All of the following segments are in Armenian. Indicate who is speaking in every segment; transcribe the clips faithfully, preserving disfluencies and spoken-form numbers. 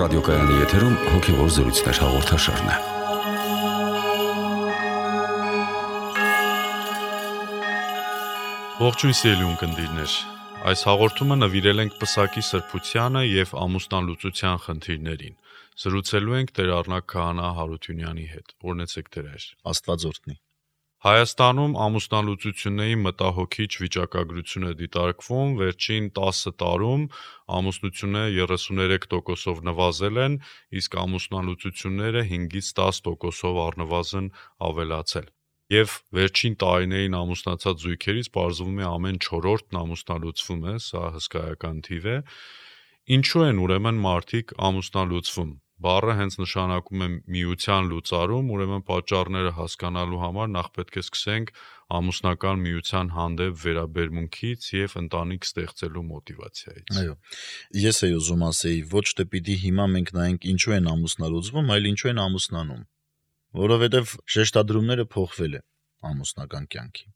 Speaker 1: ռադիոկայանի եթերում հոգևոր զրույցներ հաղորդաշարն է։
Speaker 2: Ողջույն սիրելի ունկնդիրներ, այս հաղորդումը նվիրել ենք պսակի սրբությանը և ամուսնալուծության խնդիրներին։ Զրուցելու ենք Տեր Առնակ Քահանա Հարությունյանի հետ։ Օրհնեցեք Տեր։
Speaker 3: Աստված օրհնի։
Speaker 2: Հայաստանում ամուսնալուծությունների մտահոգիչ վիճակագրություն է դիտարկվում, վերջին տասը տարում ամուսնությունները երեսուներեք տոկոսով նվազել են, իսկ ամուսնալուծությունները հինգից տաս տոկոսով առնվազն ավելացել։ Եվ վերջին տարիներին ամուսնացած զույգերից պարզվում է ամեն չորրորդն ամուսնալուծվում է, սա հսկայական թիվ է։ Ինչու են ուրեմն մարդիկ ամուսնալուծվում։ Բառը հենց նշանակում է միության լուծարում, ուրեմն պատճառները հասկանալու համար նախ պետք է սկսենք ամուսնական միության հանդեպ վերաբերմունքից և ընտանիք ստեղծելու մոտիվացիայից։
Speaker 3: Այո, ես էի ուզում ասեի, ոչ թե պիտի հիմա մենք նայենք ինչու են ամուսնալուծվում, այլ ինչու են ամուսնանում, որովհետև շեշտադրումները փոխվել է ամուսնական կյանքի։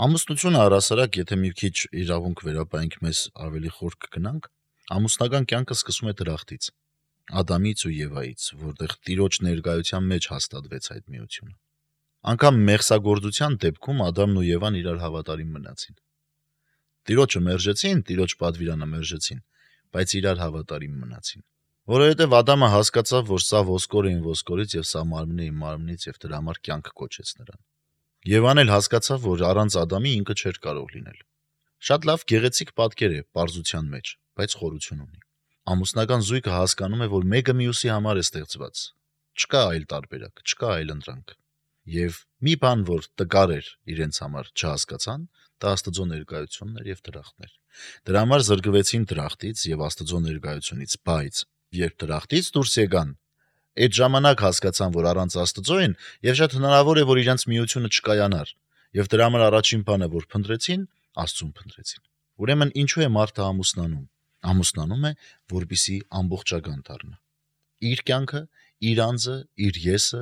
Speaker 3: Ամուսնությունը առհասարակ, եթե մի քիչ իրավունք վերապայենք, մեզ ավելի խոր կգնանք, ամուսնական կյանքը սկսում է դրախտից, Ադամից ու Եվայից, որտեղ Տիրոջ ներկայության մեջ հաստատվեց այդ միությունը։ Անկամ մեղսագործության դեպքում Ադամն ու Եվան իրար հավատարիմ մնացին։ Տիրոջը մերժեցին, Տիրոջ պատվիրանը մերժեցին, բայց իրար հավատարիմ մնացին։ Որովհետև Ադամը հասկացավ, որ սա ոսկոր է իմ ոսկորից եւ սա մարմին է իմ մարմնից եւ դրա համար կյանք կոչեց նրան։ Եվան էլ հասկացավ, որ առանց Ադամի ինքը չէր կարող լինել։ Շատ լավ գեղեցիկ պատկեր է պարզության մեջ, բայց խորություն ունի։ Ամուսնական զույգը հասկանում է, որ մեկը մյուսի համար է ստեղծված։ Չկա այլ տարբերակ, չկա այլ ընտրանք։ Եվ մի բան, որ տկար էր իրենց համար, չհասկացան, դա Աստծո ներկայությունն էր եւ դրախտն էր։ Դրա համար զրկվեցին դրախտից եւ Աստծո ներկայությունից, բայց երբ դրախտից դուրս եկան, այդ ժամանակ հասկացան, որ առանց Աստծո են եւ շատ հնարավոր է, որ իրենց միությունը չկայանար։ Եվ դրա համար առաջին բանը, որ փնտրեցին, Աստծուն փնտրեցին։ Ուրեմն ինչու է մարդը ամուսնանում։ Ամուսնանում է, որպեսզի ամբողջական դառնա։ Իր կյանքը, իր անձը, իր եսը,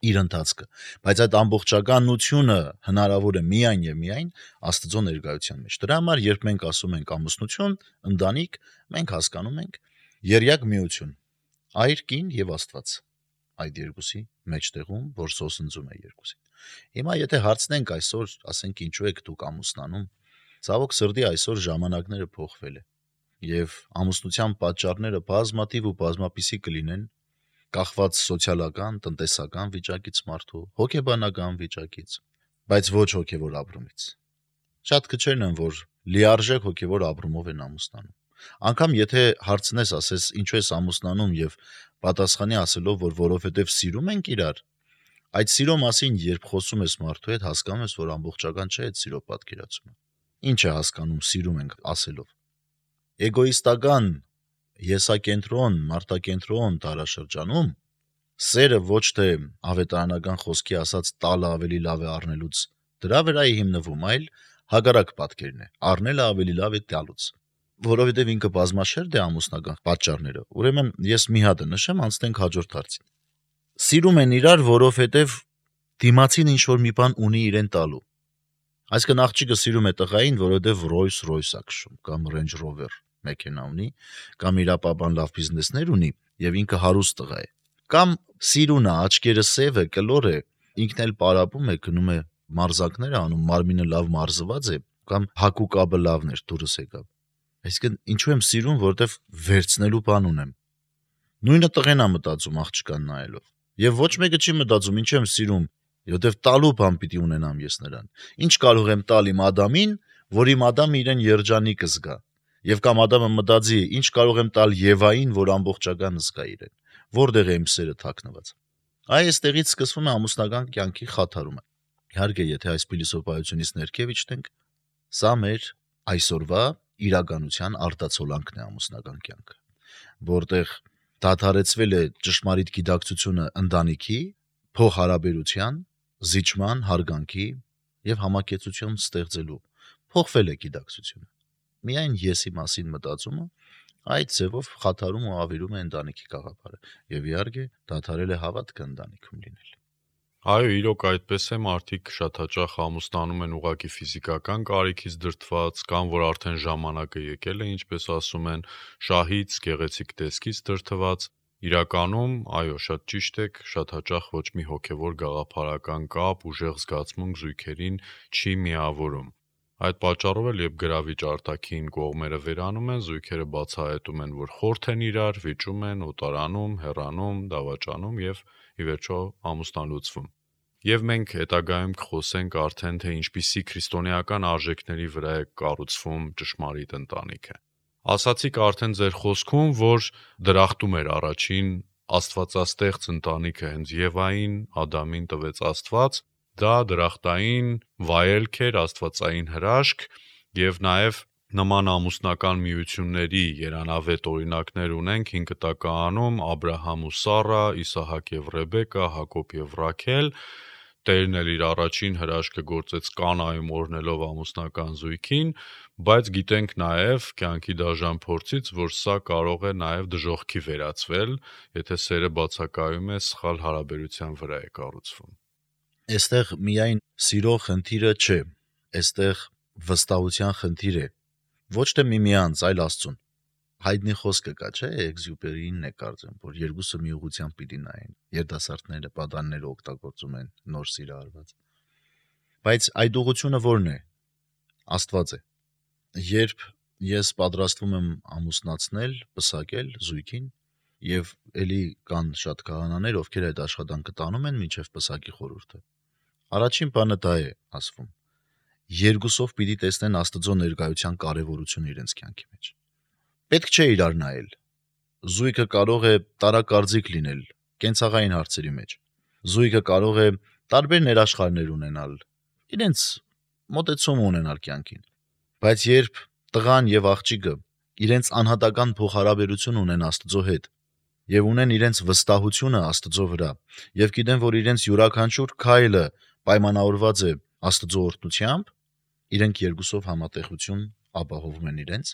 Speaker 3: իր ընթացքը, բայց այդ ամբողջականությունը հնարավոր է միայն եւ միայն Աստծո ներկայության մեջ։ Դրա համար, երբ մենք ասում ենք ամուսնություն, ընտանիք, մենք հասկանում ենք երյակ միություն, այր, կին եւ Աստված այդ երկուսի մեջտեղում, որ սոսնձում է երկուսին։ Հիմա եթե հարցնենք այսօր, ասենք ինչու եք դուք ամուսնանում, ցավոք սրտի այսօր ժամանակները փոխվել է եւ ամուսնության պատճառները բազմաթիվ ու բազմապիսի կլինեն, կախված սոցիալական, տնտեսական վիճակից մարդու, հոգեբանական վիճակից, բայց ոչ հոգեվոր ապրումից։ Շատ քչերն են, որ լիարժեք հոգեվոր ապրումով են ամուսնանում։ Անկամ եթե հարցնես, ասես ինչու ես ամուսնանում եւ պատասխանի ասելով, որ որովհետեւ սիրում ենք իրար, այդ սիրո մասին երբ խոսում ես մարդու հետ, հասկանում ես, որ ամբողջական չէ այդ սիրո պատկերացումը։ Ինչ է հասկանում սիրում ենք ասելով։ Էգոիստական, եսակենտրոն, մարդակենտրոն տարաշրջանում սերը ոչ թե ավետարանական խոսքի ասած տալը ավելի լավ է առնելուց դրա վրա է հիմնվում, այլ հակառակ պատկերն է, առնելը ավելի լավ է տալուց, որովհետև ինքը բազմաշերտ է ամուսնական պատճառները։ Ուրեմն ես մի հատ նշեմ, անցնենք հաջորդ հարցին։ Սիրում են իրար, որովհետև դիմացին ինչ որ մի բան ունի իրեն տալու։ Այսինքն աղջիկը սիրում է տղային, որովհետև Rolls-Royce-ա քշում կամ Range Rover մեքենա ունի, կամ իր ապապան լավ բիզնեսներ ունի եւ ինքը հարուստ տղա է։ Կամ սիրուն է, աչքերը սև է, կլոր է, ինքն էլ պարապում է, գնում է մարզակներ անում, մարմինը լավ մարզված է, կամ հակու կաբը լավն էր, դուրս եկավ։ Այսինքն ինչու եմ սիրում, որովհետև վերցնելու բան ունեմ։ Նույնը տղեն է մտածում աղջկան նայելով։ Եվ ոչ մեկը չի մտածում, ինչ եմ սիրում, որովհետև տալու բան պիտի ունենամ ես նրան։ Ինչ կարող եմ տալ իմ Ադամին, որ իմ Ադամը իրեն երջանիկ զգա։ Եվ կամ Ադամը մտածի, ինչ կարող եմ տալ Եվային, որ ամբողջական զգա իրեն։ Որտեղ է իմ սերը թաքնված։ Այ այստեղից սկսվում է ամուսնական կյանքի խաթարումը։ Իհարկե, եթե այս փիլիսոփայությունից ներքև իջնենք, սա մեր այսօրվա իրականության արտացոլանքն է ամուսնական կյանքը, որտեղ դադարեցվել է ճշմարիտ գիտակցությունը ընտանիքի, փոխհարաբերության, զիջման, հարգանքի եւ համակեցություն ստեղծելու։ Փոխվել է գիտակցությունը։ Միայն եսի մասին մտածումը այդ ձևով խաթարում ու ավիրում է ընտանիքի գաղափարը եւ իհարկե դադարել է հավատքը ընտանիքում լինել։
Speaker 2: Այո, իրոք այդպես է, մարդիկ շատ հաճախ ամուսնանում են ուղղակի ֆիզիկական կարիքից դրդված, կամ որ արդեն ժամանակը եկել է, ինչպես ասում են, շահից, գեղեցիկ տեսքից դրդված։ Իրականում, այո, շատ ճիշտ եք, շատ հաճախ ոչ մի հոգևոր գաղափարական կապ, ուժեղ զգացմունք զույգերին չի միավորում։ Այդ պատճառով էլ երբ գրավիչ արտաքին կողմերը վերանում են, զույգերը բացահայտում են, որ խորթ են իրար, վիճում են, օտարանում, հեռանում, դավաճանում եւ ի վերջո ամուսնալուծվում։ Եվ մենք հետագայում կխոսենք արդեն, թե ինչպիսի քրիստոնեական արժեքների վրա է կառուցվում ճշմարիտ ընտանիքը։ Ասացիք արդեն ձեր խոսքում, որ դրախտում էր առաջին աստվածաստեղծ ընտանիքը հենց Եվային, Ադամին տվեց Աստված, դա դրախտային վայելք էր, աստվածային հրաշք, եւ նաեւ նման ամուսնական միությունների երանավետ օրինակներ ունենք հին կտակարանում Աբրահամ ու Սառա, Իսահակ եւ Ռեբեկա, Հակոբ եւ Ռաքել։ Տերն էլ իր առաջին հրաշքը գործեց Կանայում օրհնելով ամուսնական զույգին, բայց գիտենք նաեւ կյանքի դաժան փորձից, որ սա կարող է նաեւ դժոխքի վերածվել, եթե սերը բացակայում է սխալ հարաբերության վրա է կառուցվում։
Speaker 3: Այստեղ միայն սիրո խնդիրը չէ, այստեղ վստահության խնդիր է, ոչ թե միմյանց, այլ Աստծուն։ Հայտնի խոսքը կա, չէ՞, Էքզյուպերին է կարծեմ, որ երկուսը մի ուղղությամբ պիտի նայեն։ Երիտասարդները պատանները օգտագործում են նոր սիրո արված։ Բայց այդ ուղղությունը ո՞րն է։ Աստված է։ Երբ ես պատրաստվում եմ ամուսնացնել, պսակել զույգին, եւ էլի կան շատ քահանաներ, ովքեր այդ աշխատանքը տանում են մինչև պսակի խորհուրդը, առաջին բանը դա է ասվում։ Երկուսով պիտի տեսնեն Աստծո ներկայության կարևորությունը իրենց կյանքի մեջ։ Պետք չէ իրար նայել։ Զույգը կարող է տարակարծիք լինել կենցաղային հարցերի մեջ։ Զույգը կարող է տարբեր ներաշխարներ ունենալ, իրենց մոտեցում ունենալ կյանքին։ Բայց երբ տղան եւ աղջիկը իրենց անհատական փոխհարաբերություն ունեն Աստծո հետ եւ ունեն իրենց վստահությունը Աստծո վրա եւ գիտեն, որ իրենց յուրաքանչյուր քայլը պայմանավորված է Աստծո օրհնությամբ, իրենք երկուսով համատեղություն ապահովում են իրենց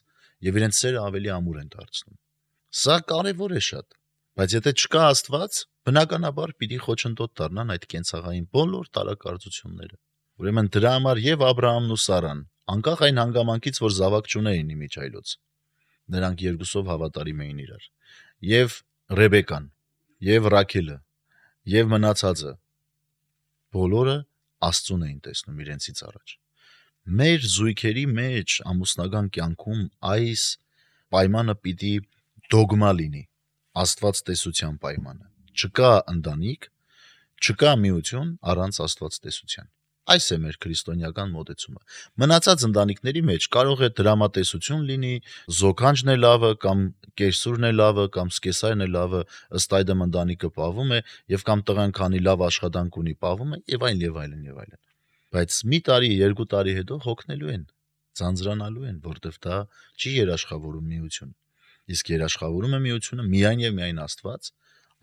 Speaker 3: եւ իրենց սերը ավելի ամուր են դարձնում։ Սա կարեւոր է շատ, բայց եթե չկա Աստված, բնականաբար պիտի խոչընդոտ դառնան այդ կենցաղային բոլոր տարակարծությունները։ Ուրեմն դրա համար եւ Աբրահամն ու Սառան, անկախ այն հանգամանքից, որ զավակ չունեին իմիջայլոց, նրանք երկուսով հավատարիմ էին իրար։ Եվ Ռեբեկան, եւ Ռաքելը, եւ մնացածը բոլորը Աստծուն էին տեսնում իրենցից առաջ։ Մեր զույգերի մեջ ամուսնական կյանքում այս պայմանը պիտի դոգմա լինի, Աստված տեսության պայմանը։ Չկա ընտանիք, չկա միություն առանց Աստված տեսության։ Այս է մեր քրիստոնեական մոտեցումը։ Մնացած ընտանիքների մեջ կարող է դրամատեսություն լինի, զոքանջն է լավը կամ կերսուրն է լավը կամ սկեսայրն է լավը, ըստ այդմ ընտանիքը պահվում է եւ կամ տղան քանի լավ աշխատանք ունի պահվում է եւ այլն եւ այլն եւ այլն։ Բայց մի տարի, երկու տարի հետո հոգնելու են, ձանձրանալու են, որտեվ դա չի երաշխավորում միություն։ Իսկ երաշխավորում է միությունը միայն եւ միայն Աստված,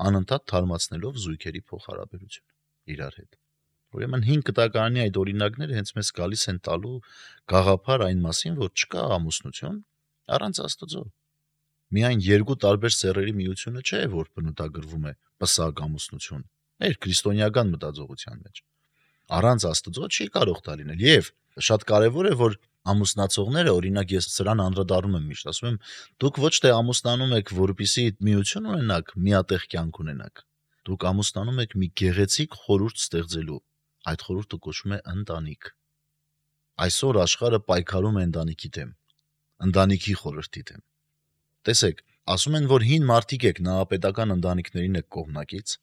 Speaker 3: անընդհատ թարմացնելով զույգերի փոխհարաբերությունը իրար հետ։ Ուրեմն հին կտակարանի այդ օրինակները հենց մեզ գալիս են տալու գաղափար այն մասին, որ չկա ամուսնություն առանց Աստծո։ Միայն երկու տարբեր սեռերի միությունը չէ, որ բնութագրվում է պսակ ամուսնություն, մեր քրիստոնեական մտածողության մեջ։ Առանց Աստծո չի կարող դա լինել։ Եվ շատ կարևոր է, որ ամուսնացողները, օրինակ ես սրան անդրադառնում եմ միշտ, ասում եմ, դուք ոչ թե ամուսնանում եք, որպեսզի միություն ունենաք, միատեղ կյանք ունենաք։ Դուք ամուսնանում եք մի գեղեցիկ խորհուրդ ստեղծելու։ Այդ խորհուրդը կոչվում է ընտանիք։ Այսօր աշխարհը պայքարում է ընտանիքի դեմ, ընտանիքի խորհրդի դեմ։ Տեսեք, ասում են, որ հին մարդիկ եք նահապետական ընտանիքներին եք կողմնակից,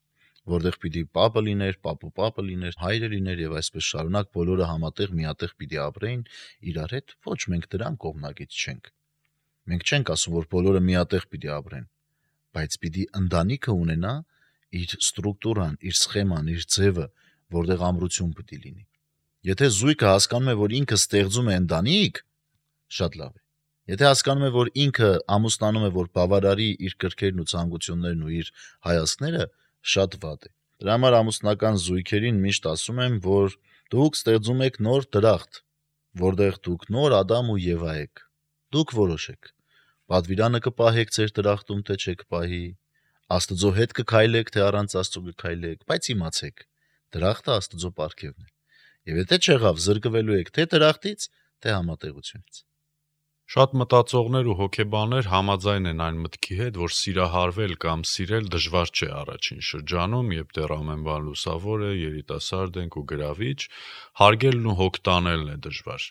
Speaker 3: որտեղ պիտի պապը լիներ, պապու պապը լիներ, հայրը լիներ եւ այսպես շարունակ բոլորը համատեղ միատեղ պիտի ապրեին իրար հետ։ Ոչ, մենք դրան կողմնակից չենք։ Մենք չենք ասում, որ բոլորը միատեղ պիտի ապրեն, բայց պիտի ընտանիքը ունենա իր ստրուկտուրան, իր սխեման, իր ձևը, որտեղ ամրություն պիտի լինի։ Եթե զույգը հասկանում է, որ ինքը ստեղծում է ընտանիք, շատ լավ է։ Եթե հասկանում է, որ ինքը ամուսնանում է, որ բավարարի իր կրքերն ու ցանկություններն ու իր հայացքները, շատ վատ է։ Դրա համար ամուսնական զույգերին միշտ ասում եմ, որ դուք ստեղծում եք նոր դրախտ, որտեղ դուք նոր Ադամ ու Եվա եք։ Դուք որոշեք։ Պատվիրանը կպահեք ձեր դրախտում, թե չեք պահի, Աստծո հետ կքայլեք, թե առանց Աստծո կքայլեք, բայց իմացեք, Դրախտը Աստծո պարգևն է։ Եվ եթե չեղավ, զրկվելու եք թե դրախտից, թե համատեղությունից։
Speaker 2: Շատ մտածողներ ու հոգեբաններ համաձայն են այն մտքի հետ, որ սիրահարվել կամ սիրել դժվար չէ առաջին շրջանում, երբ դեռ ամեն բան լուսավոր է, երիտասարդ ենք ու գրավիչ, հարգելն ու հոգ տանելն է դժվար։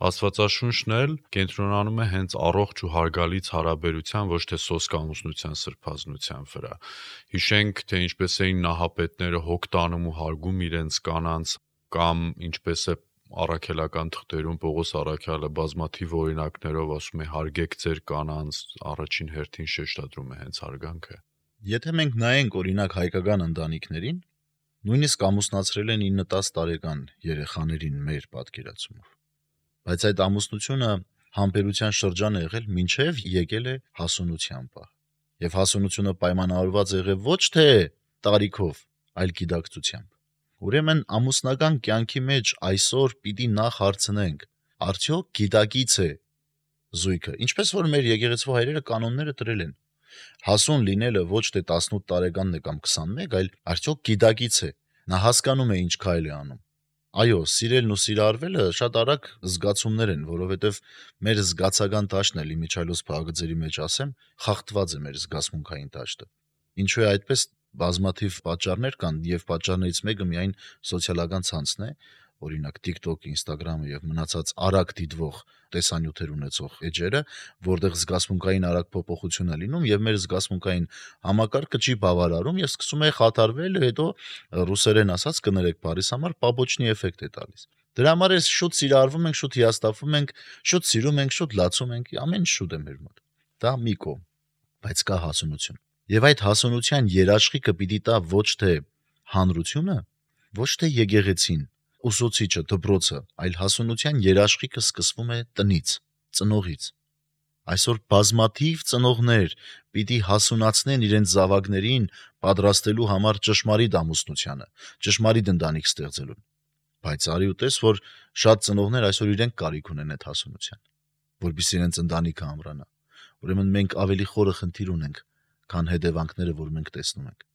Speaker 2: Աստվածաշունչն էլ կենտրոնանում է հենց առողջ ու հարգալից հարաբերության, ոչ թե սոսկ ամուսնության սրբազնության վրա։ Հիշենք, թե ինչպես էին նահապետները հոգ տանում ու հարգում իրենց կանանց, կամ ինչպես է առաքելական թղթերում Պողոս առաքյալը բազմաթիվ օրինակներով ասում է հարգեք ձեր կանանց, առաջին հերթին շեշտադրում է հենց հարգանքը։
Speaker 3: Եթե մենք նայենք օրինակ հայկական ընտանիքներին, նույնիսկ ամուսնացրել են ինը տասը տարեկան երեխաներին մեր պատկերացումով։ Բայց այդ ամուսնությունը համբերության շրջան է եղել մինչև եկել է հասունության պահ։ Եվ հասունությունը պայմանավորված է եղել ոչ թե տարիքով, այլ գիտակցությամբ։ Ուրեմն ամուսնական կյանքի մեջ այսօր պիտի նախ հարցնենք. արդյոք գիտակից է զույգը, ինչպես որ մեր եկեղեցու հայրերը կանոնները դրել են։ Հասուն լինելը ոչ թե տասնութ տարեկանն է կամ քսանմեկ, այլ արդյոք գիտակից է, նա հասկանում է ինչ քայլ է անում։ Այո, սիրելն ու սիրարվելը շատ արագ զգացումներ են, որովհետև մեր զգացական տաշտն էլ իմիջիայլոց փաղագծերի մեջ ասեմ, խախտված է մեր զգացմունքային տաշտը։ Ինչու է այդպես, բազմաթիվ պատճառներ կան, եւ պատճառներից մեկը միայն սոցիալական ցանցն է, օրինակ TikTok, Instagram-ը եւ մնացած արագ դիտվող տեսանյութեր ունեցող էջերը, որտեղ զգացմունքային արագ փոփոխություն է լինում եւ մեր զգացմունքային համակարգը չի բավարարում եւ սկսում է խաթարվել, հետո ռուսերեն ասած կներեք բարիս համար պաբոչնի էֆեկտ է տալիս։ Դրա համար է շուտ սիրարվում ենք, շուտ հիասթափվում ենք, շուտ սիրում ենք, շուտ լացում ենք, ամեն ինչ շուտ է մեր մոտ։ Դա մի կողմ, բայց կա հասունություն։ Եվ այդ հասունության երաշխիքը պիտի տա ոչ թե հանրությունը, ոչ թե եկեղեցին, ուսուցիչը, դպրոցը, այլ հասունության երաշխիքը սկսվում է տնից, ծնողից։ Այսօր բազմաթիվ ծնողներ պիտի հասունացնեն իրենց զավակներին պատրաստելու համար ճշմարիտ ամուսնությանը, ճշմարիտ ընտանիք ստեղծելուն։ Բայց արի ու տես, որ շատ ծնողներ այսօր իրենք կարիք ունեն այդ հասունության, որպեսզի իրենց ընտանիքը ամրանա։ Ուրեմն մենք ավելի խորը խնդիր ունենք, քան հետևանքները, որ մենք տեսնում ենք։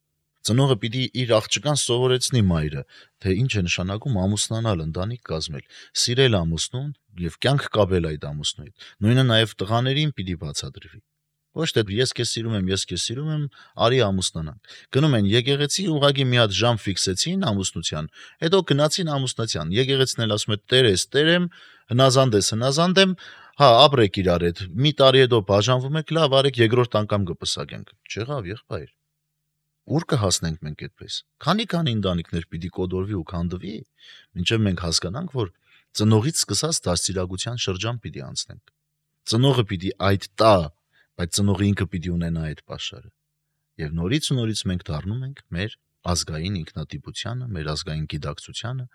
Speaker 3: Ծնողը պիտի իր աղջկան սովորեցնի մայրը, թե ինչ է նշանակում ամուսնանալ, ընտանիք կազմել, սիրել ամուսնուն եւ կյանք կապել այդ ամուսնու հետ։ Նույնը նաեւ տղաներին պիտի բացատրվի։ Ոչ թե ես քեզ սիրում եմ, ես քեզ սիրում եմ, արի ամուսնանանք։ Գնում են եկեղեցի, ուղղակի մի հատ ժամ ֆիքսեցին ամուսնության, հետո գնացին ամուսնության։ Եկեղեցին էլ ասում է՝ «Տեր ես, Տեր եմ, հնազանդ ես, հնազանդ եմ, հա, ապրեք իրար հետ։ Մի տարի հետո բաժանվում եք, լավ, արեք երկրորդ անգամ կպսակենք»։ Չեղավ, եղբայր։ Ուր կհասնենք մենք այդպես։ Քանի-քանի ընտանիքներ պիտի կոդորվի ու քանդվի, մինչև մենք հասկանանք, որ ծնողից սկսած դաստիարակության շրջան պիտի անցնենք։ Ծնողը պիտի այդ տա, բայց ծնողը ինքը պիտի ունենա այդ պաշարը։ Եվ նորից ու նորից մենք դառնում ենք մեր ազգային ինքնատիպությանը, մեր ազգային գիտակցությանը,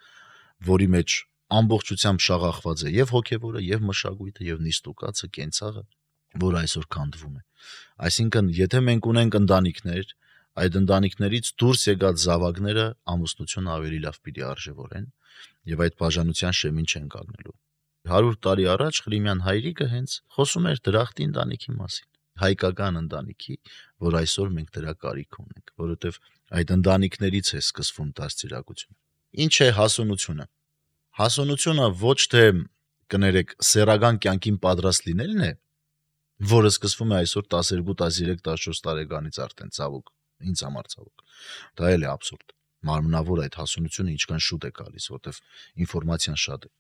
Speaker 3: որի մեջ ամբողջությամբ շաղախված է եւ հոգեվորը, եւ մշակույթը, եւ նիստուկացը, կենցաղը, որ այսօր քանդվում է։ Այսինքն, եթե մենք ունենք ընտանիքներ, այդ ընտանիքներից դուրս եկած զավակները ամուսնությունը ավելի լավ պիտի արժևորեն եւ այդ բաժանության շեմին չեն կանգնելու։ հարյուր տարի առաջ Ղրիմյան հայրիկը հենց խոսում էր դրախտի ընտանիքի մասին, հայկական ընտանիքի, որ այսօր մենք դրա կարիք ունենք, որովհետեւ այդ ընտանիքներից է սկսվում դաստիարակությունը։ Ինչ է հասունությունը։ Հասունությունը ոչ թե կներեք սեռական կյանքին պատրաստ լինելն է, որը սկսվում է այսօր տասներկու, տասներեք, տասնչորս տարեկանից արդեն ցավոք, ինձ համար ցավոք։ Դա էլ է абսուրդ։ Մարմնավոր այդ հասունությունը ինչքան շուտ է գալիս, որտեվ ինֆորմացիան շատ է։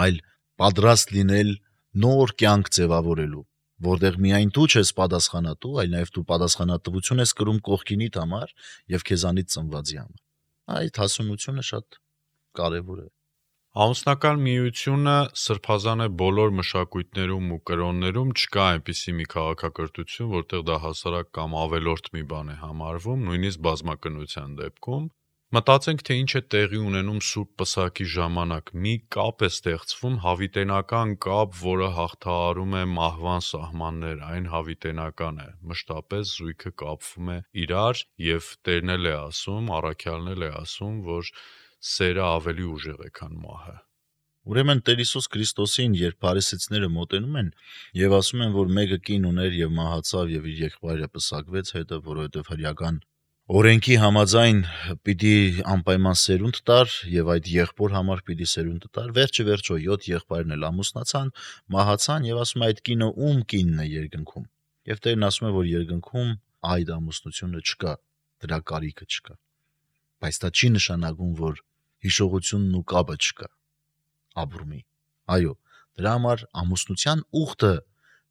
Speaker 3: Այլ պատրաստ լինել նոր կյանք ձևավորելու, որտեղ միայն դու չես պատասխանատու, այլ նաև դու պատասխանատվություն ես կրում կողքինիդ համար եւ քեզանից ծնվածի համար։ Այդ հասունությունը շատ կարեւոր է։
Speaker 2: Ամուսնական միությունը սրբազան է բոլոր մշակույթներում ու կրոններում, չկա այնպիսի մի քաղաքակրթություն, որտեղ դա հասարակ կամ ավելորդ մի բան է համարվում, նույնիսկ բազմակնության դեպքում։ Մտածենք, թե ինչ է տեղի ունենում Սուրբ Պսակի ժամանակ։ Մի կապ է ստեղծվում, հավիտենական կապ, որը հաղթահարում է մահվան սահմաններ, այն հավիտենական է։ Մշտապես զույգը կապվում է իրար եւ Տերն էլ է ասում, առաքյալն էլ է ասում, որ սերը ավելի ուժեղ է, քան մահը։
Speaker 3: Ուրեմն Տեր Հիսուս Քրիստոսին, երբ փարիսեցիները մոտենում են եւ ասում են, որ մեկը կին ուներ եւ մահացավ եւ իր եղբայրը պսակվեց հետը, որովհետեւ հրեական օրենքի համաձայն պիտի անպայման սերունդ տար եւ այդ եղբոր համար պիտի սերունդ տար, վերջը վերջո յոթ եղբայրն էլ ամուսնացան, մահացան եւ ասում է այդ կինը ում կինն է երկնքում։ Եվ Տերն ասում է, որ երկնքում այդ ամուսնությունը չկա, դրա կարիքը չկա։ Բայց դա չի նշանակում, որ հիշողությունն ու կապը չկա ապրումի։ Այո, դրա համար ամուսնության ուխտը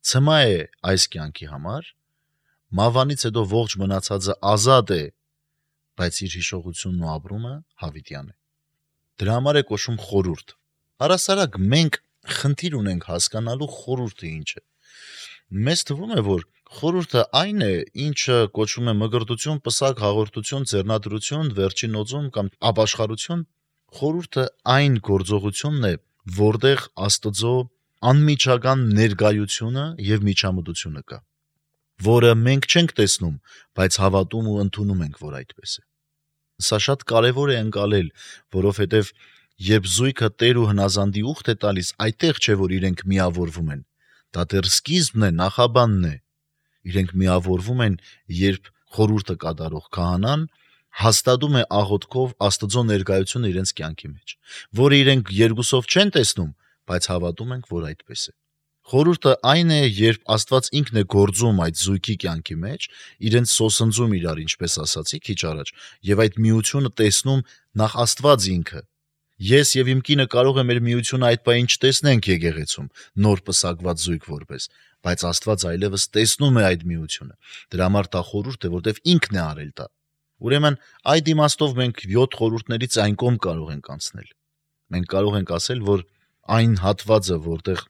Speaker 3: ցմա է այս կյանքի համար, մավանից հետո ողջ մնացածը ազատ է, բայց իր հիշողությունն ու ապրումը հավիտյան է։ Դրա համար է կոչվում խորհուրդ։ Առասարակ մենք խնդիր ունենք հասկանալու խորհուրդը ինչ է։ Մեզ թվում է, որ խորհուրդը այն է, ինչը կոչվում է մգրտություն, պսակ, հաղորդություն, ձեռնադրություն, վերջին օծում կամ ապաշխարություն։ Խորհուրդը այն գործողությունն է, որտեղ Աստծո անմիջական ներկայությունը եւ միջամտությունը կա, որը մենք չենք տեսնում, բայց հավատում ու ընդունում ենք, որ այդպես է։ Սա շատ կարևոր է ընկալել, որովհետեւ երբ զույգը Տեր ու հնազանդի ուխտ է տալիս, այդտեղ չէ, որ իրենք միավորվում են։ Դա դեռ սկիզբն է, նախաբանն է։ Իրենք միավորվում են, երբ խորհուրդը կատարող քահանան հաստատում է աղոթքով Աստծո ներկայությունը իրենց կյանքի մեջ, որը իրենք երկուսով չեն տեսնում, բայց հավատում ենք, որ այդպես է։ Խորհուրդը այն է, երբ Աստված ինքն է գործում այդ զույգի կյանքի մեջ, իրենց սոսնձում իրար, ինչպես ասացի քիչ առաջ, եւ այդ միությունը տեսնում նախ Աստված ինքը։ Ես եւ իմ կինը կարող է մեր միությունը այդ պահին չտեսնենք եկեղեցում, նոր պսակված զույգ որպես, բայց Աստված այլևս տեսնում է այդ միությունը։ Դրա համար դա խորհուրդ է, որտեվ ինքն է արել դա։ Ուրեմն այդ իմաստով մենք յոթ խորհուրդներից այն կողմ կարող ենք անցնել։ Մենք կարող ենք ասել, որ այն հատվածը, որտեղ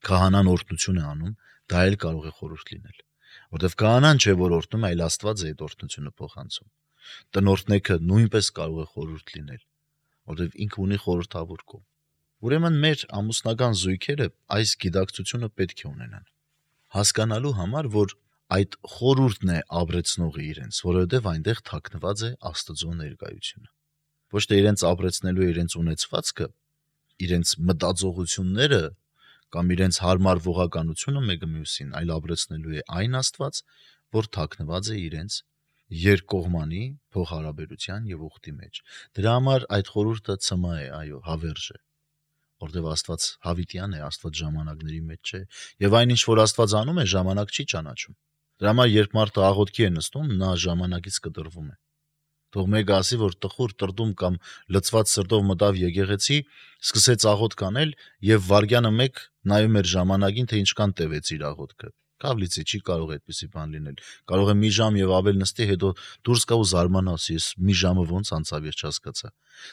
Speaker 3: քահանան օրհնություն է անում, դա էլ կարող է խորհուրդ լինել, որտեվ քահանան չէ, որ օրհնում, այլ Աստված է այդ օրհնությունը փոխանցում։ Տնօրտնեքը նույնպես կարող է խորհուրդ լինել, որտեվ ինքը ունի խորհրդավոր կողմ։ Ուրեմն մեր ամուսնական զույգերը այս գիտակցությունը պետք է ունենան, հասկանալու համար, որ այդ խորհուրդն է ապրեցնողը իրենց, որովհետև այնտեղ թաքնված է Աստծո ներկայությունը։ Ոչ թե իրենց ապրեցնելու է իրենց ունեցվածքը, իրենց մտածողությունները կամ իրենց հարմար ողականությունը մեկը մյուսին, այլ ապրեցնելու է այն Աստված, որ թաքնված է իրենց երկկողմանի փոխհարաբերության եւ ուխտի մեջ։ Դրա համար այդ խորհուրդը ցմա է, այո, հավերժ է, որտեղ Աստված հավիտյան է, Աստված ժամանակների մեջ չէ, եւ այն ինչ որ Աստված անում է, ժամանակ չի ճանաչում։ Դրա համար երբ մարդը աղոթքի է նստում, նա ժամանակից կտրվում է։ Թող մեկը ասի, որ տխուր տրդում կամ լծված սրտով մտավ եկեղեցի, սկսեց աղոթք անել եւ վարգյանը մեկ նայում էր ժամանակին, թե ինչքան տևեց իր աղոթքը։ Կավլիցի չի կարող այդպեսի բան լինել։ Կարող է մի ժամ եւ ավել նստի, հետո դուրս գա ու զարմանաս, ես մի ժամը ոնց անցավ, ես չհասկացա։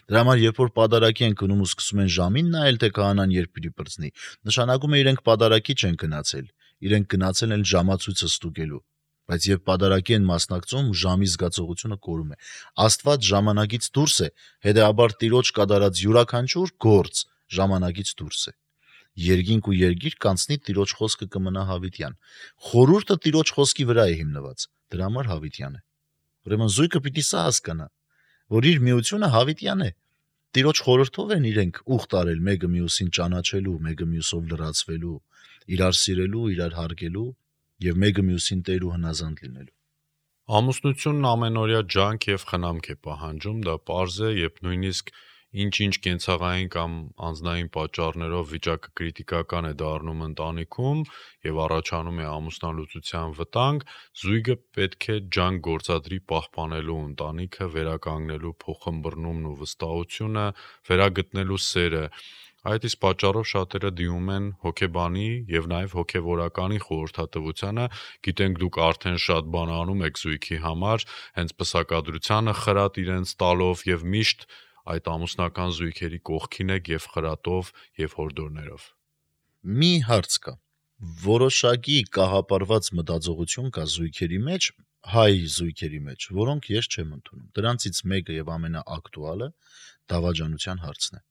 Speaker 3: Դրա համար երբ որ պատարակի են գնում ու սկսում են ժամին նայել, թե քահանան երբ պիտի բրձնի, նշանակում է իրենք պատարակի չեն գնացել, իրենք գնացել են ժամացույցը ստուգելու։ Բայց երբ պատարակի են մասնակցում, ժամի զգացողությունը կորում է։ Աստված ժամանակից դուրս է, հետեւաբար Տիրոջ կատարած յուրաքանչյուր գործ ժամանակից դուրս է։ Երկինք ու երկիր կանցնի, Տիրոջ խոսքը կմնա հավիտյան։ Խորհուրդը Տիրոջ խոսքի վրա է հիմնված, դրա համար հավիտյան է։ Ուրեմն զույգը պիտի սա հասկանա, որ իր միությունը հավիտյան է։ Տիրոջ խորհրդով են իրենք ուխտ արել մեկը մյուսին ճանաչելու, մեկը մյուսով լրացվելու, իրար սիրելու, իրար հարգելու եւ մեկը մյուսին Տեր ու հնազանդ լինելու։
Speaker 2: Ամուսնությունն ամենօրյա ջանք եւ խնամք է պահանջում, դա պարզ է, երբ նույնիսկ ինչ-ինչ կենցաղային կամ անձնային պատճառներով վիճակը կրիտիկական է դառնում ընտանիքում եւ առաջանում է ամուսնալուծության վտանգ, զույգը պետք է ջանք գործադրի պահպանելու ընտանիքը, վերականգնելու փոխըմբռնումն ու վստահությունը, վերագտնելու սերը։ Այդ իսկ պատճառով շատերը դիմում են հոգեբանի եւ նաեւ հոգեվորականի խորհրդատվությանը, գիտենք դուք արդեն շատ բան անում եք զույգի համար, հենց պսակադրությանը խրատ իրենց տալով եւ միշտ այդ ամուսնական զույգերի կողքին եք եւ խրատով եւ հորդորներով։
Speaker 3: Մի հարց կա։ Որոշակի կահապարված մտածողություն կա զույգերի մեջ, հայ զույգերի մեջ, որոնք ես չեմ ընդունում։ Դրանցից մեկը եւ ամենաակտուալը դավաճանության հարցն է։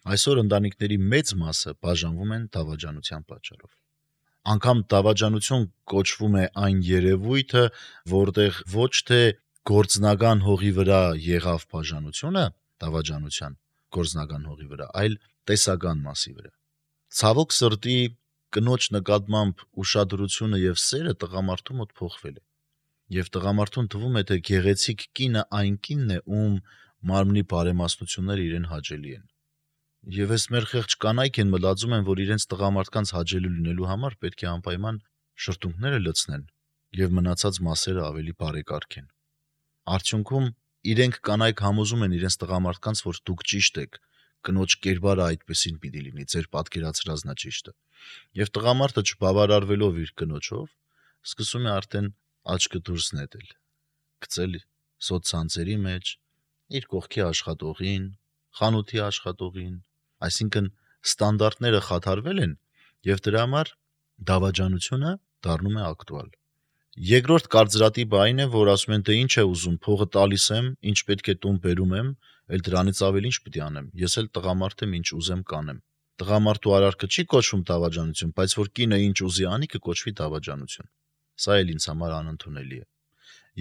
Speaker 3: Այսօր ընտանիքների մեծ մասը բաժանվում են դավաճանության պատճառով։ Անկամ դավաճանություն կոչվում է այն երևույթը, որտեղ ոչ թե գործնական հողի վրա եղավ բաժանությունը, դավաճանության գործնական հողի վրա, այլ տեսական մասի վրա։ Ցավոք սրտի կնոջ նկատմամբ ուշադրությունը եւ սերը տղամարդու մոտ փոխվել է։ Եվ տղամարդուն թվում է, թե գեղեցիկ կինը այն կինն է, ում մարմնի բարեմասնությունները իրեն հաճելի են։ Եվ այս մեր խեղճ կանայք են մտածում են, որ իրենց տղամարդկանց հաճելի լինելու համար պետք է անպայման շրթունքները լցնեն եւ մնացած մասերը ավելի բարեկարգեն։ Արդյունքում իրենք կանայք համոզում են իրենց տղամարդկանց, որ դուք ճիշտ եք, կնոջ կերպարը այդպեսին պիտի լինի, ձեր պատկերացրածն է ճիշտը։ Եվ տղամարդը չբավարարվելով իր կնոջով, սկսում է արդեն աչքը դուրս նետել, գցել սոցցանցերի մեջ իր կողքի աշխատողին, խանութի աշխատողին, այսինքն ստանդարտները խաթարվել են եւ դրա համար դավաճանությունը դառնում է ակտուալ։ Երկրորդ կարծրատիպը այն է, որ ասում են, թե ինչ է ուզում, փողը տալիս եմ, ինչ պետք է տուն բերում եմ, այլ դրանից ավելի ինչ պիտի անեմ։ Ես էլ տղամարդ եմ, ինչ ուզեմ կանեմ։ Տղամարդու արարքը չի կոչվում դավաճանություն, բայց որ կինը ինչ ուզի անի, կկոչվի դավաճանություն։ Սա էլ ինձ համար անընդունելի է։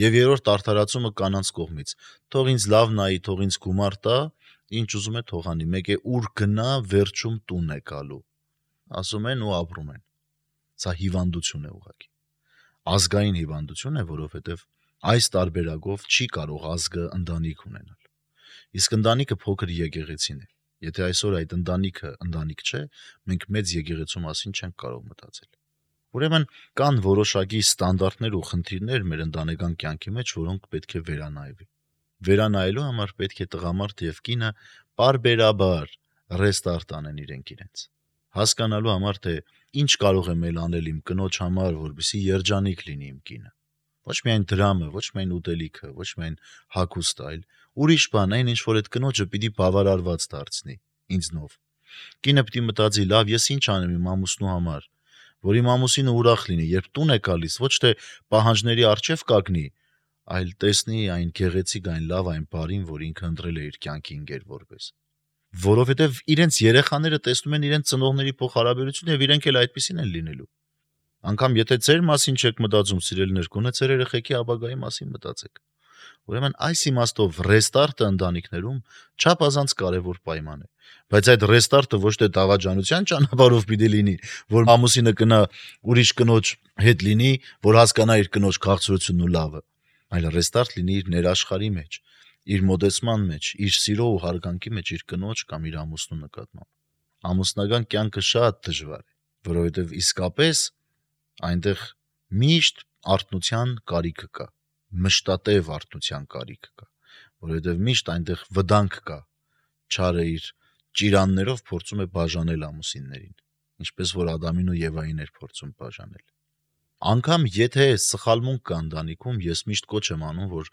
Speaker 3: Եվ երրորդ արդարացումը կանանց կողմից։ Թող ինձ լավ նայի, թող ինձ գումար տա, ինչ ուզում է թող անի, մեկ է ուր գնա, վերջում տուն է գալու։ Ասում են ու ապրում են։ Սա հիվանդություն է ուղղակի։ Ազգային հիվանդություն է, որովհետև այս տարբերակով չի կարող ազգը ընտանիք ունենալ։ Իսկ ընտանիքը փոքր եկեղեցին է։ Եթե այսօր այդ ընտանիքը ընտանիք չէ, մենք մեծ եկեղեցու մասին չենք կարող մտածել։ Ուրեմն կան որոշակի ստանդարտներ ու խնդիրներ մեր ընտանեկան կյանքի մեջ, որոնք պետք է վերանայվի։ Վերանայելու համար պետք է տղամարդ եւ կինը բարբերաբար ռեստարտ անեն իրենք իրենց։ Հասկանալու համար, թե ինչ կարող եմ ել անել իմ կնոջ համար, որպեսզի երջանիկ լինի իմ կինը։ Ոչ միայն դրամը, ոչ միայն ուտելիքը, ոչ միայն հագուստը, այլ ուրիշ բան, այն ինչ որ այդ կնոջը պիտի բավարարված դարձնի ինձնով։ Կինը պիտի մտածի, լավ, ես ինչ անեմ իմ ամուսնու համար, որ իմ ամուսինը ուրախ լինի, երբ տուն է գալիս, ոչ թե պահանջների առջև կանգնի, այլ տեսնի այն գեղեցիկ, այն լավ, այն բարին, որ ինքը ընտրել է իր կյանքի ընկեր որպես։ Որովհետև իրենց երեխաները տեսնում են իրենց ծնողների փոխհարաբերությունը եւ իրենք էլ այդպեսին են լինելու։ Անկամ եթե ձեր մասին չեք մտածում, սիրելիներ, գոնե ձեր երեխեքի ապագայի մասին մտածեք։ Ուրեմն այս իմաստով ռեստարտը ընտանիքներում չափազանց կարևոր պայման է։ Բայց այդ ռեստարտը ոչ թե դավաճանության ճանապարհով պիտի լինի, որ ամուսինը կնա ուրիշ կնոջ հետ լինի, որ հասկանա իր կնոջ քաղցրությունն ու լավը, այլ ռեստարտ լինի իր ներաշխարի մեջ, իր մոդեցման մեջ, իր սիրո ու հարգանքի մեջ իր կնոջ կամ իր ամուսնու նկատմամբ։ Ամուսնական կյանքը շատ դժվար է, որովհետև իսկապես այնտեղ միշտ արթնության կարիքը կա, մշտատև արթնության կարիքը կա, որովհետև միշտ այնտեղ վտանգ կա, չարը իր ճիրաններով փորձում է բաժանել ամուսիններին, ինչպես որ Ադամին ու Եվային էր փորձում բաժանել։ Անկամ եթե սխալմունք կա ընտանիքում, ես միշտ կոչ եմ անում, որ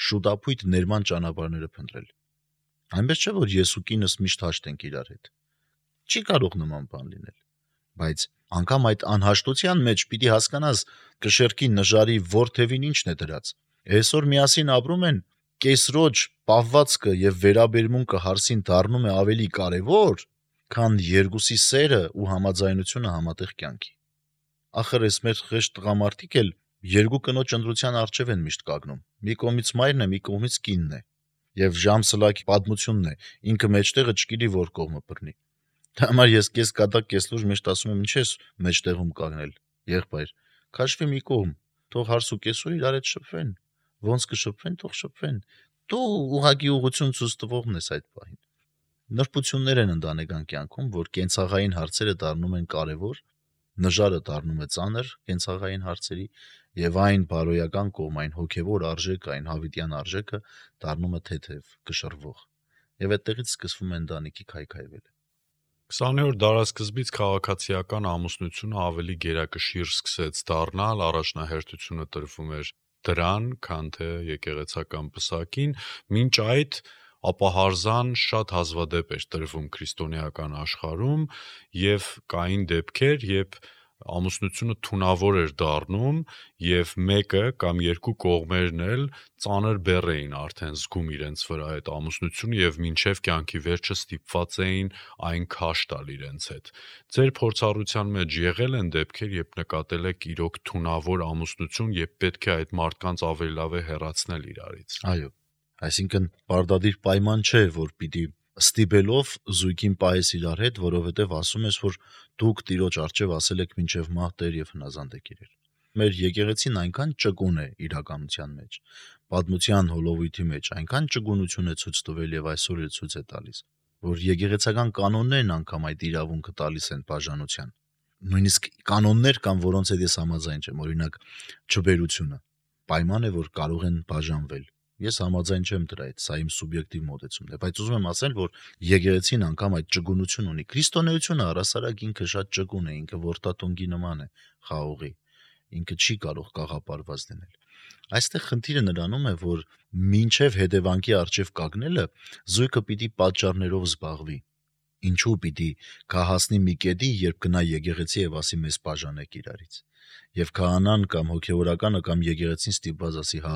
Speaker 3: շուտապույտ ներման ճանապարհները փնտրել։ Այնպես չէ, որ ես ու կինս միշտ հաշտ ենք իրար հետ։ Չի կարող նման բան լինել, բայց անգամ այդ անհաշտության մեջ պիտի հասկանաս կշերքի նժարի ворթևին ինչն է դրած։ Այսօր միասին ապրում են, կեսրոջ պահվածքը եւ վերաբերմունքը հարսին դառնում է ավելի կարեւոր, քան երկուսի սերը ու համաձայնությունը համատեղ կյանքի։ Ախր էս մեր խեղճ տղամարդիկ էլ երկու կնոջ ընտրության առջև են միշտ կանգնում։ Մի կողմից մայրն է, մի կողմից կինն է։ Եվ ժամսլակի պատմությունն է, ինքը մեջտեղը չգիտի որ կողմը բռնի։ Դա համար ես կես կատակ կես լուր միշտ ասում եմ, ինչ ես մեջտեղում կանգնել, եղբայր, քաշվի մի կողմ, թող հարս ու կեսօր իրար հետ շփվեն, ոնց կշփվեն, թող շփվեն։ Դու ուղղակի ուղղություն ցույց տվողն ես այդ բանին։ Նրբություններ են ընտանեկան կյանքում, որ կենցաղային հարցերը դառնում են կարևոր, նժարը դառնում է ծանր կենցաղային հարցերի եւ այն բարոյական կողմ, այն հոգեվոր արժեքը, այն հավիտյան արժեքը դառնում է թեթև, կշռվող։ Եվ այդտեղից սկսվում է ընտանիքի քայքայվելը։
Speaker 2: քսանորդ դարաշրջանից քաղաքացիական ամուսնությունը ավելի գերակշիռ սկսեց դառնալ, առաջնահերթությունը տրվում էր դրան, քան թե եկեղեցական պսակին, մինչ այդ ապահարզան շատ հազվադեպ էր տրվում քրիստոնեական աշխարհում եւ կային դեպքեր, երբ ամուսնությունը թունավոր էր դառնում եւ մեկը կամ երկու կողմերն էլ ծանր բեռ էին արդեն զգում իրենց վրա այդ ամուսնությունը եւ մինչեւ կյանքի վերջը ստիպված էին այն քաշ տալ իրենց հետ։ Ձեր փորձառության մեջ եղել են դեպքեր, երբ նկատել եք իրոք թունավոր ամուսնություն եւ պետք է այդ մարդկանց ավելի լավ է հեռացնել իրարից։
Speaker 3: Այո, այսինքն պարտադիր պայման չէ, որ պիտի ստիպելով զույգին պահես իրար հետ, որովհետև ասում ես, որ դուք տիրոջ առջև ասել եք մինչև մահ Տեր եւ հնազանդ եք իրար։ մեր եկեղեցին այնքան ճկուն է իրականության մեջ, պատմության հոլովույթի մեջ այնքան ճկունություն է ցույց տվել եւ այսօր էլ ցույց է տալիս, որ եկեղեցական կանոններն անգամ այդ իրավունքը տալիս են բաժանության։ Նույնիսկ կանոններ կան, որոնց հետ ես համաձայն չեմ, օրինակ չբերությունը։ Պայման է, որ կարող են բաժանվել։ Ես համաձայն չեմ դրա հետ, սա իմ սուբյեկտիվ մոտեցումն է, բայց ուզում եմ ասել, որ եկեղեցին անգամ այդ ճկունություն ունի։ Քրիստոնեությունը առասարակ ինքը շատ ճկուն է, ինքը ворտատոնգի նման է, խաղողի, ինքը չի կարող կաղապարված լինել։ Այստեղ խնդիրը նրանում է, որ մինչև հետևանքի արժև կանգնելը զույգը պիտի պատճառներով զբաղվի։ Ինչու պիտի կհասնի մի կետի, երբ գնա եկեղեցի եւ ասի մեզ բաժանեք իրարից։ Եվ քահանան կամ հոգեորականը կամ եկեղեցին ստիպված ասի, հա,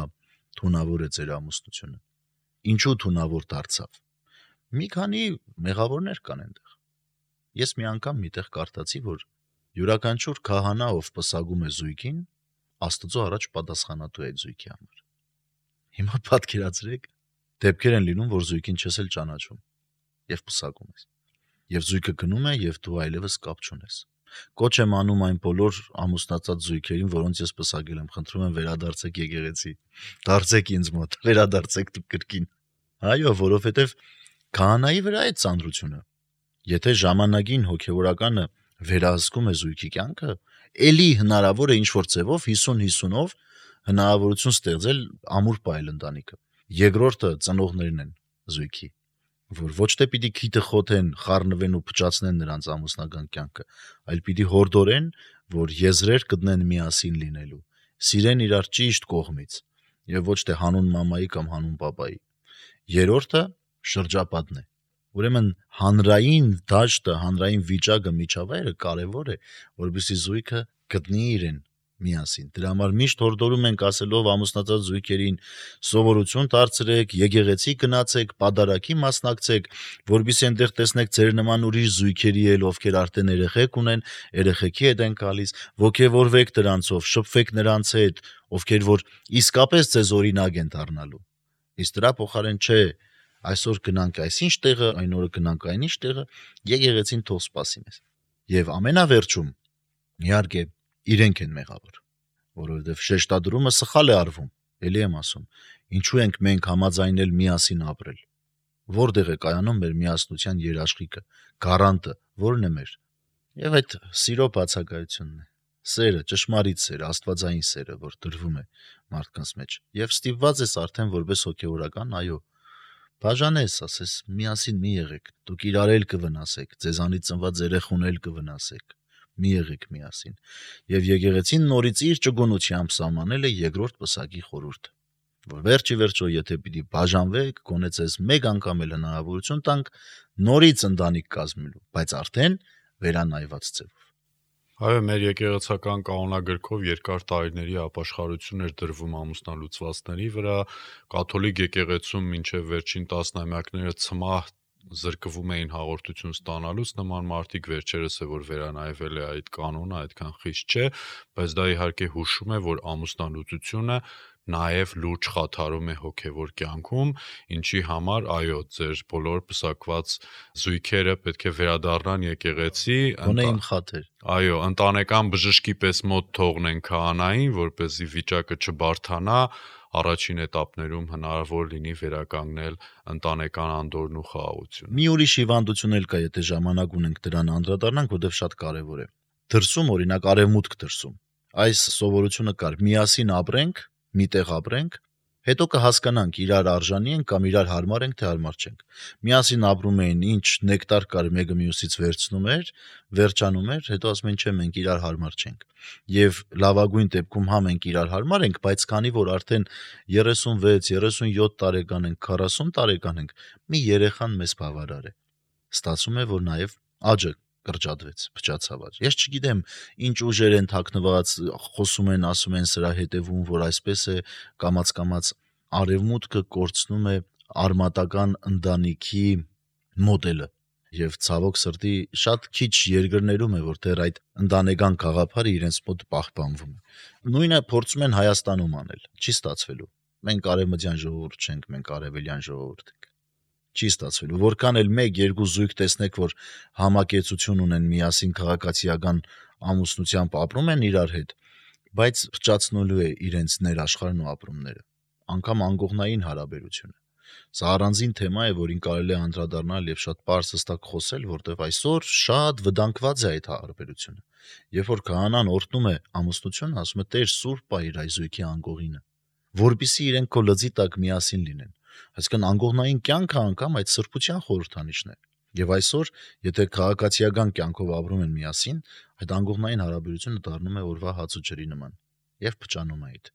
Speaker 3: թունավոր է ձեր ամուսնությունը։ Ինչու թունավոր դարձավ։ Մի քանի մեղավորներ կան այնտեղ։ Ես մի անգամ միտեղ կարդացի, որ յուրաքանչյուր քահանա, ով պսակում է զույգին, Աստծո առաջ պատասխանատու է այդ զույգի համար։ Հիմա պատկերացրեք, դեպքեր են լինում, որ զույգին չես էլ ճանաչում եւ պսակում ես։ Եվ զույգը գնում է եւ դու այլևս կապ չունես։ Կոչ եմ անում այն բոլոր ամուսնացած զույգերին, որոնց ես պսակել եմ, խնդրում եմ վերադարձեք եկեղեցի, դարձեք ինձ մոտ, վերադարձեք դուք կրկին։ Այո, որովհետեւ քահանայի վրա է ծանրությունը։ Եթե ժամանակին հոգեորականը վերահսկում է զույգի կյանքը, էլի հնարավոր է ինչ-որ ձևով հիսուն հիսունով հնարավորություն ստեղծել ամուր պայել ընտանիքը։ Երկրորդը ծնողներն են զույգի, որ ոչ թե պիտի քիթը խոթեն, խառնվեն ու փճացնեն նրանց ամուսնական կյանքը, այլ պիտի հորդորեն, որ եզրեր գտնեն միասին լինելու, սիրեն իրար ճիշտ կողմից, եւ ոչ թե հանուն մամայի կամ հանուն պապայի։ Երրորդը շրջապատն է։ Ուրեմն հանրային դաշտը, հանրային վիճակը, միջավայրը կարևոր է, որովհետեւ զույգը գտնի իրեն միասին։ Դրա համար միշտ հորդորում ենք ասելով ամուսնացած զույգերին սովորություն դարձրեք, եկեղեցի գնացեք, պատարագի մասնակցեք, որովհետեւ այնտեղ տեսնեք ձեր նման ուրիշ զույգերի էլ, ովքեր արդեն երեխեք ունեն, երեխեքի հետ են գալիս, ոգևորվեք դրանցով, շփվեք նրանց հետ, ովքեր որ իսկապես ձեզ օրինակ են դառնալու։ Իսկ դրա փոխարեն չէ, այսօր գնանք այսինչ տեղը, այն օրը գնանք այնինչ տեղը, եկեղեցին թող սպասի մեզ։ Եվ ամենավերջում, իհարկե, իրենք են մեղավոր, որովհետև շեշտադրումը սխալ է արվում, էլի եմ ասում, ինչու ենք մենք համաձայնել միասին ապրել, որտեղ է կայանում մեր միասնության երաշխիքը, գարանտը, որն է մեր, եւ այդ սիրո բացակայությունն է, սերը, ճշմարիտ սերը, աստվածային սերը, որ դրվում է մարդկանց մեջ, եւ ստիպված ես արդեն որպես հոգեորական, այո, բաժանես, ասես, միասին մի եղեք, դուք իրար էլ կվնասեք, ձեզանից ծնված երեխուն էլ կվնասեք, մի եղեք միասին, եւ եկեղեցին նորից իր ճկունությամբ սահմանել է երկրորդ պսակի խորհուրդը, որ վերջի վերջո, եթե պիտի բաժանվեք, գոնե ձեզ մեկ անգամ էլ հնարավորություն տանք նորից ընտանիք կազմելու, բայց արդեն վերանայված ձևով։
Speaker 2: Այո, մեր եկեղեցական կանոնագրքով երկար տարիների ապաշխարություն էր դրվում ամուսնալուծվածների վրա, կաթոլիկ եկեղեցում մինչև վերջին տասնամյակները ցմահ զրկվում էին հաղորդություն ստանալուց, նման մարդիկ վերջերս է որ վերանայվել է այդ կանոնը, այդքան խիստ չէ, բայց դա իհարկե հուշում է, որ ամուսնալուծությունը նաև լուրջ խաթարում է հոգևոր կյանքում, ինչի համար, այո, ձեր բոլոր պսակված զույգերը պետք է վերադառնան եկեղեցի,
Speaker 3: Գոնե իմ խաթեր։
Speaker 2: Այո, ընտանեկան բժշկի պես մոտ թողնեն քահանային, որպեսզի վիճակը չբարթանա, առաջին этаպներում հնարավոր լինի վերականգնել ընտանեկան անդորրն ու խաղաղությունը։
Speaker 3: Մի ուրիշ հիվանդություն էլ կա, եթե ժամանակ ունենք դրան անդրադառնանք, որտեղ շատ կարևոր է։ Դրսում, օրինակ, արևմուտք դրսում։ Այս սովորությունը կար՝ միասին ապրենք, միտեղ ապրենք, հետո կհասկանանք իրար արժանի ենք կամ իրար հարմար ենք, թե հարմար չենք։ Միասին ապրում էին, ինչ նեկտար կար մեկը մյուսից վերցնում էր, վերջանում էր, հետո ասում են, չէ, մենք իրար հարմար չենք։ Եվ լավագույն դեպքում հա մենք իրար հարմար ենք, բայց քանի որ արդեն երեսունվեց, երեսունյոթ տարեկան ենք, քառասուն տարեկան ենք, մի երեխան մեզ բավարար է։ Ստացվում է, որ նաև աճը կրճատվեց, փչացավ աճ։ Ես չգիտեմ, ինչ ուժեր են թաքնված, խոսում են, ասում են սրա հետևում, որ այսպես է կամաց-կամաց արևմուտքը կորցնում է արմատական ընտանիքի մոդելը։ Եվ ցավոք սրտի շատ քիչ երկրներում է, որ դեռ այդ ընտանեկան գաղափարը իրենց մոտ պահպանվում է։ Նույնը փորձում են Հայաստանում անել, չի ստացվելու։ Մենք արևմտյան ժողովուրդ չենք, մենք արևելյան ժողովուրդ ենք։ Չի ստացվելու, որքան էլ մեկ-երկու զույգ տեսնեք, որ համակեցություն ունեն, միասին քաղաքացիական ամուսնությամբ ապրում են իրար հետ, բայց փճացնելու է իրենց ներաշխարհն ու ապրումները, անգամ անկողնային հարաբերությունը։ Սա առանձին թեմա է, որին կարելի է անդրադառնալ եւ շատ պարզ հստակ խոսել, որտեղ այսօր շատ վտանգված է այդ հարաբերությունը։ Երբ որ քահանան օրհնում է ամուսնությունը, ասում է Տեր սուրբ է իր այզույքի անկողինը, որպիսի իրենք քո լծի տակ միասին լինեն։ Այսինքն անկողնային կյանքը անգամ այդ սրբության խորհրդանիշն է։ Եվ այսօր, եթե քաղաքացիական կյանքով ապրում են միասին, այդ անկողնային հարաբերությունը դառնում է օրվա հաց ու ջրի նման եւ փճանում է այդ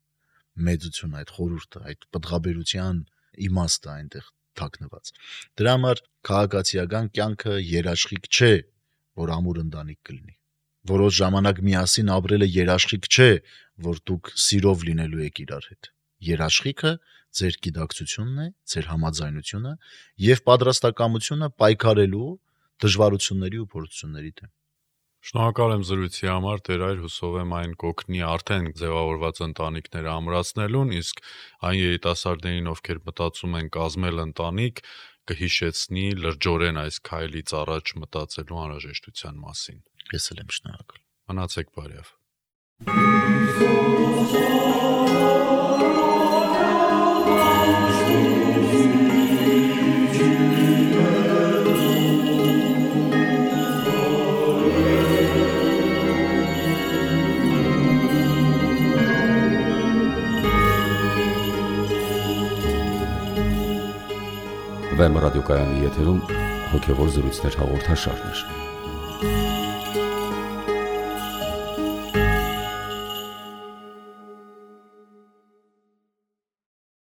Speaker 3: մեծությունը, այդ խորհուրդը, այդ պտղաբերության իմաստը այնտեղ թաքնված։ Դրա համար քաղաքացիական կյանքը երաշխիք չէ, որ ամուր ընտանիք կլինի։ Որոշ ժամանակ միասին ապրելը երաշխիք չէ, որ դուք սիրով լինելու եք իրար հետ։ Երաշխիքը ձեր գիտակցությունն է, ձեր համաձայնությունը եւ պատրաստակամությունը պայքարելու դժվարությունների ու փորձությունների դեմ։
Speaker 2: Շնորհակալ եմ զրույցի համար, Տեր այր, հուսով եմ այն կօգնի արդեն ձևավորված ընտանիքները ամրացնելուն, իսկ այն երիտասարդներին, ովքեր մտածում են կազմել ընտանիք, կհիշեցնի լրջորեն այս քայլից առաջ մտածելու անհրաժեշտության մասին։
Speaker 3: Ես էլ եմ շնորհակալ։
Speaker 2: Մնացեք բարև։
Speaker 1: Վեմ ռադիոկայանի եթերում հոգևոր զրույցներ հաղորդաշարներ։